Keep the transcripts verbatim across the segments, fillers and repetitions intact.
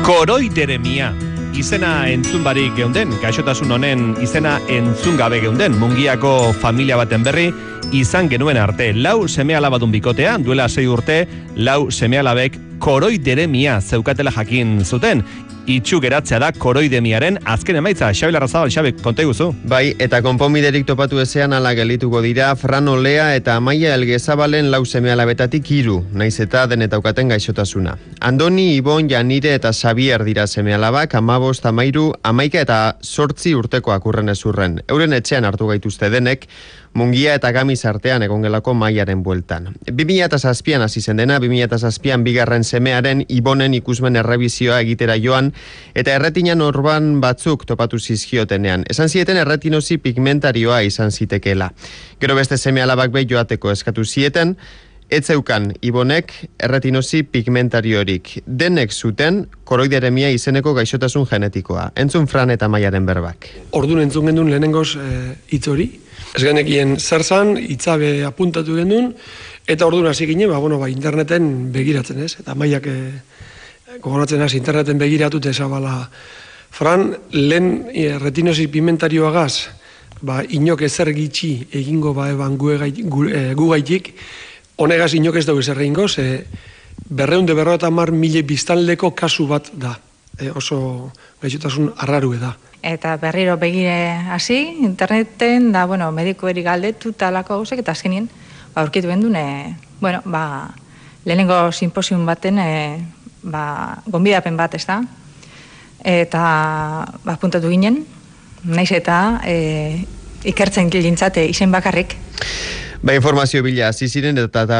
Koroideremia. Izena entzun barik geunden, gaixotasun honen izena entzun gabe geunden, Mungiako familia baten berri izan genuen arte. Lau seme-alabadun bikotea, duela sei urte, lau seme-alabek koroideremia zeukatela jakin zuten. Itxu geratzea da koroidemiaren azken emaitza. Xabi Larrazabal, Xabi, konta iguzu. Bai, eta konponbiderik topatu ezean ala gelituko dira Fran Olea eta Amaia Elgezabalen lau seme-alabetatik hiru, naiz eta denetaukaten gaixotasuna. Andoni, Ibon, Janire eta Xabier dira seme-alabak, amabost, amairu, amaika eta sortzi urtekoak urren ezurren. Euren etxean hartu gaituzte denek, Mungia eta Gamiz artean egongelako maiaren bueltan. bi mila zazpian hasi zen dena, bi mila zazpian bigarren semearen Ibonen ikusmen errebizioa egitera joan, eta erretinan orban batzuk topatu zizkiotenean. Esan zieten erretinosi pigmentarioa izan zitekeela. Gero beste seme-alabak behi joateko eskatu zieten, etzeukan Ibonek erretinosi pigmentariorik. Denek zuten koroideremia izeneko gaixotasun genetikoa. Entzun Fran eta Maiaren berbak. Ordun entzun gendun lehenengoz hitz hori. Ez genekien zer zan, hitzabe apuntatu gendun, eta orduan hasi ginen, ba, bueno, ba, interneten begiratzen ez, eta Maiak e, gogoratzen hasi interneten begiratute esabala. Fran, lehen e, retinosi pigmentarioagaz, ba, inok ezer gitxi egingo ba, eban gu, gu, e, gu gaitik, honegaz inok ez dugu ezer egingo, ze berreunde berroeta mar mile biztanleko kasu bat da, e, oso gaixotasun arrarue da. Eta berriro begire hasi, interneten, da, bueno, medikoeri galdetu talako gauzek, eta azkenien, ba, aurkitu bendun, e, bueno, ba, lehenengo simposium baten, e, ba, gonbidapen bat, ez da? Eta, ba, puntatu ginen, naiz eta e, ikertzen gilintzate izen bakarrik. Ba, informazio bila hasi ziren eta, eta,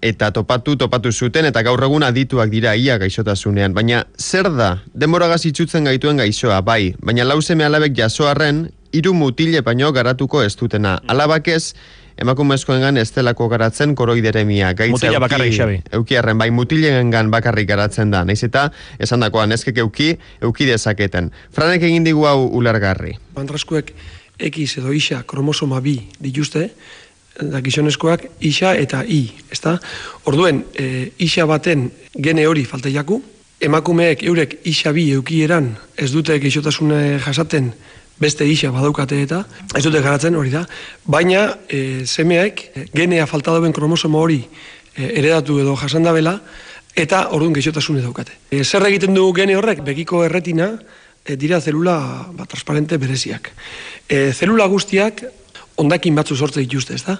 eta topatu, topatu zuten, eta gaur egun adituak dira ia gaixotasunean. Baina zer da? Denboragaz itxutzen gaituen gaixoa, bai. Baina lau seme-alabek jasoarren, hiru mutile baino garatuko ez dutena. Alabak ez, emakumezkoengan ez delako garatzen koroideremia. Mutila bakarrik, Xabi. Eukiarren, bai, mutilengan bakarrik garatzen da. Naiz eta, esan dakoan, ezkek euki, euki dezaketen. Franek egin digu hau ulergarri. Andraskuek X edo isa kromosoma bi dituzte, da gizonezkoak isa eta I, ezta? Orduen, e, isa baten gene hori falta jaku, emakumeek eurek isa bi eukieran ez dute gaixotasune jasaten beste isa badaukate eta ez dute garatzen hori da, baina e, semeek genea falta dauen kromosoma hori e, heredatu edo jasandabela eta orduan gaixotasune daukate. E, zer egiten du gene horrek? Begiko erretina e, dira zelula ba, transparente bereziak. E, zelula guztiak ondakin batzu sortze dituzte, ez da?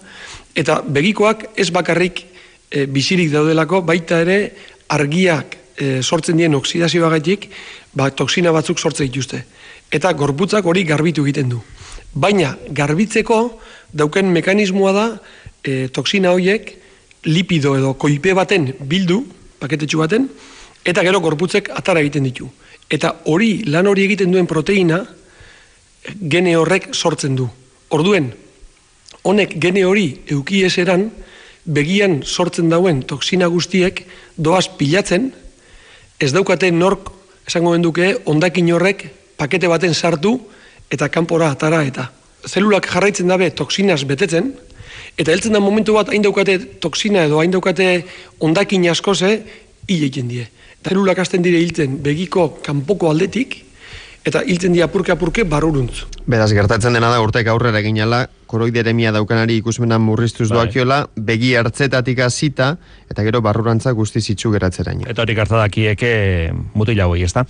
Eta begikoak ez bakarrik e, bizirik daudelako, baita ere argiak e, sortzen dien oksidazioagaitik, ba, toksina batzuk sortze dituzte. Eta gorputzak hori garbitu egiten du. Baina garbitzeko dauken mekanismoa da e, toksina horiek lipido edo koipe baten bildu, paketetxu baten, eta gero gorputzek atara egiten ditu. Eta hori, lan hori egiten duen proteina, gene horrek sortzen du. Orduen, honek gene hori eukieseran, begian sortzen dauen toksina guztiek doaz pilatzen, ez daukate nork, esango benduke, ondakin horrek pakete baten sartu eta kanpora atara eta. Zelulak jarraitzen dabe toksinaz betetzen, eta heltzen da momentu bat hain daukate toksina edo hain daukate ondakin askoze, hil egiten die. Zelulak hasten dire hiltzen begiko kanpoko aldetik, eta hiltzen di apurke-apurke barruruntz. Beraz, gertatzen dena da urtek aurrera eginala, koroideremia daukanari ikusmenan murriztuz doakiola, begi hartzetatik hasita eta gero barrurantza guztiz itxu geratzeraino. Eta hori gertadakieke mutila hoi, ezta?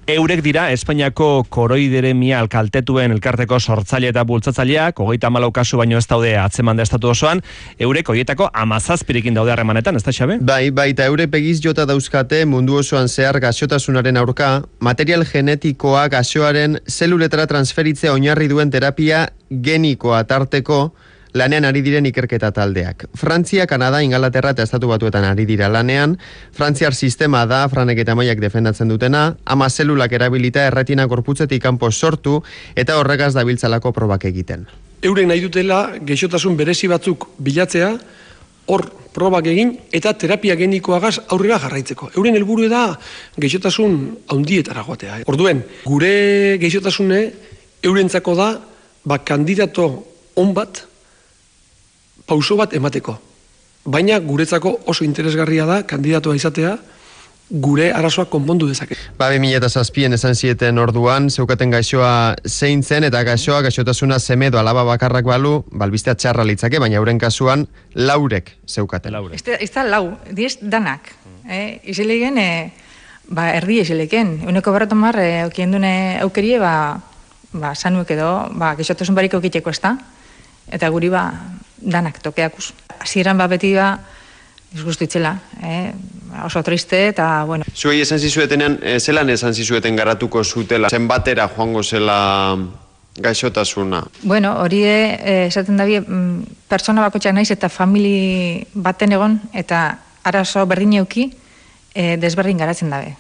Eurek dira, Espainiako koroideremia alkaltetuen elkarteko sortzaile eta bultzatzaileak, hogeita hamalau kasu baino ez daude atzeman da estatu osoan, eurek horietako hamazazpirikin daude harremanetan, ez da, Xabi? Bai, bai, eta eurek begiz jota dauzkate mundu osoan zehar gaixotasunaren aurka, material genetikoa gaixoaren zeluletara transferitzea oinarri duen terapia genikoa tarteko lanean ari diren ikerketa taldeak. Frantzia, Kanada, Ingalaterra eta Estatu Batuetan ari dira lanean. Frantziar sistema da, Franek eta Maiak defendatzen dutena, ama zelulak erabilita erretina gorputzetik kanpo sortu eta horregaz dabiltzalako probak egiten. Euren nahi dutela gaixotasun berezi batzuk bilatzea, hor probak egin eta terapia genikoagaz aurrera jarraitzeko. Euren helburu da gaixotasun handietara joatea. Orduen, gure gaixotasune eurentzako da ba, kandidato on bat, pauso bat emateko. Baina guretzako oso interesgarria da kandidatoa izatea gure arazoak konpondu dezake. Ba, bi mila zazpien esan zieten orduan, zeukaten gaixoa zein zen, eta gaixoa, gaixotasuna seme edo alaba bakarrak balu, balbistea txarra litzake, baina euren kasuan laurek zeukaten. Ez da, ez da lau, diez danak. Eh? Izelegen, eh, ba, erdi izeleken. Euneko barretan mar, eh, okien dune aukerie, ba, ba, sanuek edo, ba, gaixotasun barik okiteko ez da. Eta guri, ba, danak tokeakuz. Hasieran ba, beti, ba, disgustu itzela, eh? Oso triste, eta, bueno. Zuei esan zizuetenean, e, zelan esan zizueten garatuko zutela, zenbatera joango zela gaixotasuna? Bueno, hori e, esaten dabe, mm, pertsona bakotxak naiz eta famili baten egon, eta arazo berdin euki, e, desberdin garatzen dabe.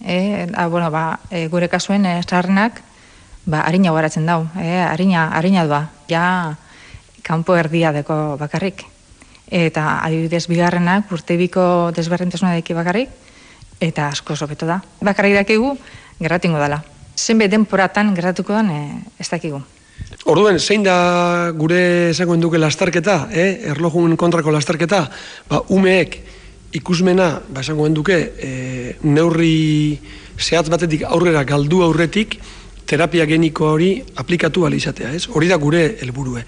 E, a, bueno, ba, e, gure kasuen e, zaharrenak, ba, harina garatzen dau, e, harina, harina doa, ja, kanpo erdia deko bakarrik. Eta adibidez bigarrenak urtebiko desberdintasuna deki bakarrik, eta asko sobeto da. Bakarrik dakigu, gerratingo dela. Zenbe denporatan gerratuko dan, e, ez dakigu. Orduen, zein da gure esango duke lastarketa, eh? Erlojun kontrako lastarketa, ba, umeek ikusmena, ba, esango duke, e, neurri zehatz batetik aurrera galdu aurretik, terapia geniko hori aplikatu ahal izatea, ez? Hori da gure helburue.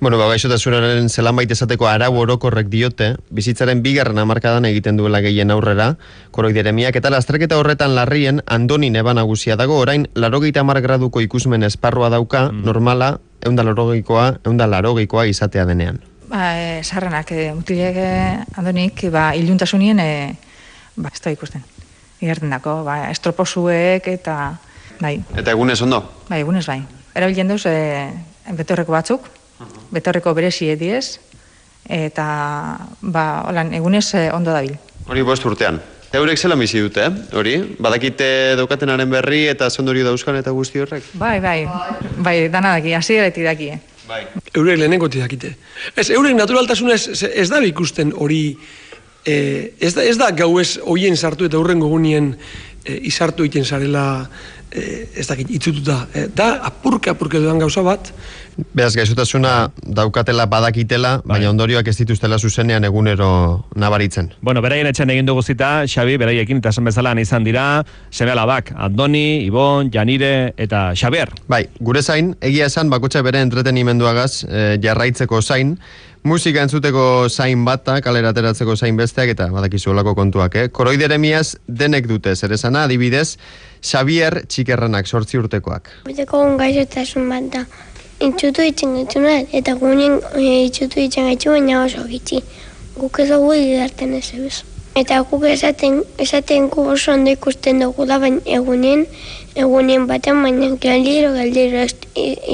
Bueno, ba, gaixotasunaren zelanbait esateko arau orokorrek diote, bizitzaren bigarren hamarkadan egiten duela gehien aurrera, koroideremiak, eta lasterketa horretan larrien Andoni neba nagusia dago, orain larogeita hamar graduko ikusmen esparrua dauka, mm. normala, eunda larogeikoa, eunda larogeikoa izatea denean. Ba, e, sarrenak, e, mutilek e, Andonik, ba, iluntasunien, e, ba, ez da ikusten. Igerten dako, ba, estroposuek eta, bai. Eta egunez ondo? Bai, egunez bai. Erabiltzen duz, e, betorreko batzuk, betorreko beresi ediez, eta, ba, holan, egunez eh, ondo dabil. Hori bost urtean. Eurek zelan bizi dute, eh? Hori? Badakite daukatenaren berri eta zondorio dauzkan eta guzti horrek? Bai, bai, bai, dana daki, hasieratik daki, eh? Bai. Eurek lehenengotik dakite. Ez, eurek naturaltasuna ez, ez da ikusten hori, eh, ez, da, ez da gau ez hoien sartu eta hurrengo gunien eh, izartu egiten zarela, eh, ez dakit, itzututa. Eh, da, apurka, apurka dudan gauza bat. Beraz, gaixotasuna daukatela badakitela, bai. Baina ondorioak ez dituztela zuzenean egunero nabaritzen. Bueno, beraien etxen egin dugu zita, Xabi, beraiekin eta esan bezala izan dira, seme alabak, Andoni, Ibon, Janire eta Xabier. Bai, gure zain, egia esan bakotxa bere entretenimenduagaz e, jarraitzeko zain, musika entzuteko zain bata, kalera ateratzeko zain besteak, eta badakizu olako kontuak, eh? Koroideremiaz denek dute, zer esana, adibidez, Xabier txikerranak, sortzi urtekoak. Biteko gaixotasun bat da. Itxutu itzen gaitzuna, eta gunen e, itxutu itzen gaitzu, baina oso gitzi. Guk ez dugu idarten ez ebez. Eta guk esaten, esaten gu oso ondo ikusten dugu da, baina egunen, egunen baten, baina galdiro, galdiro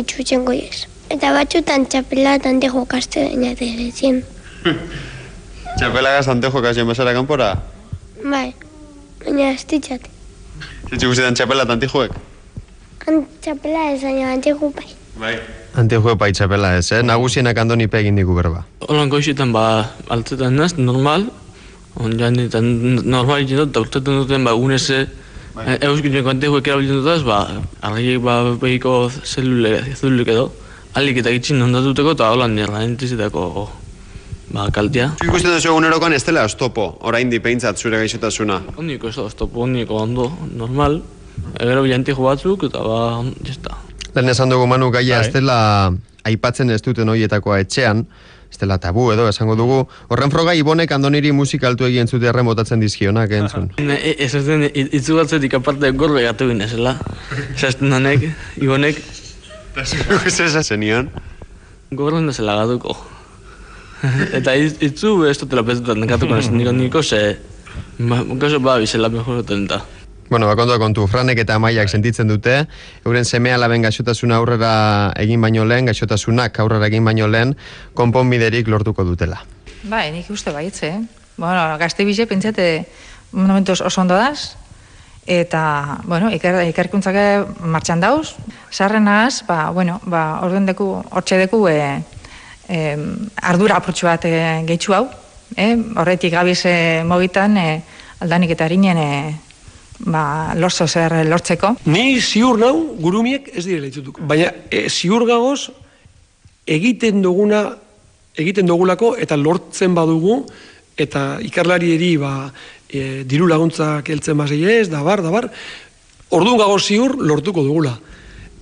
itxutzen goiez. Eta batzutan txapela tante jokaste baina derezien. Txapela gaztante jokazien bezala kanpora? Bai, baina ez ditzat. Zitzu guztietan txapela tanti joek? Txapela ez, baina antigu bai. Bai. Antijue paitxapela ez, eh? Nagusienak Andoni egin digu berba. Olan goizietan ba, altzetan naz, normal, ondian eta normal egin dut, eta urtetan duten ba, unez, bai. Euskinen antijuek erabiltzen dutaz, ba, argiek ba, behiko zelulek edo, alik eta gitxin ondatuteko, eta holan nirra entizetako ba, kaltia. Ikusten duzu egunerokoan ez dela oztopo, orain dipeintzat zure gaixotasuna? Ondiko ez da oztopo, ondiko ondo, normal, egero bilantiko batzuk, eta ba, jesta. Lehen esan dugu Manu gaia ez dela aipatzen ez duten horietakoa etxean, ez dela tabu edo esango dugu. Horren froga Ibonek Andoniri musika altu egin zute erren botatzen dizkionak entzun. Ez ez den itzugatzetik aparte gorbe gatu gine zela. Zazten honek, Ibonek. Ez ez zenion? Gorren da zela gatuko. Eta itzu ez dutela petutan gatuko nezen niko niko ze... Gaso ba bizela mejoroten da. Bueno, bakondoa kontu, Franek eta Amaiak sentitzen dute, euren seme alaben gaixotasuna aurrera egin baino lehen, gaixotasunak aurrera egin baino lehen, konponbiderik lortuko dutela. Bai, nik uste baitze, eh? Bueno, gazte bize pentsate momentuz oso ondo daz, eta, bueno, iker, ikerkuntzak martxan dauz, sarrenaz, ba, bueno, ba, orduen deku, hortxe deku, e, e, ardura apurtxu bat e, gehitxu hau, eh? Horretik gabiz e, mogitan, e, aldanik eta harinen, e, ba, lortzo zer lortzeko. Ni ziur nau, gurumiek ez direla itzutuko. Baina e, ziur gagoz egiten duguna, egiten dugulako eta lortzen badugu, eta ikerlari eri ba, e, diru laguntzak heltzen basei ez, da bar, da bar, orduan gago ziur lortuko dugula.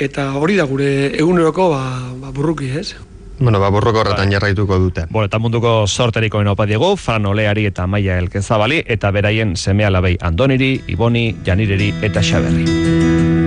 Eta hori da gure eguneroko ba, ba burruki, ez? Bueno, ba, borroko horretan jarraituko dute. Bueno, eta munduko sorteriko enopa diegu, Fran Oleari eta Maia Elkezabali, eta beraien seme alabei Andoniri, Iboni, Janireri eta Xaberri.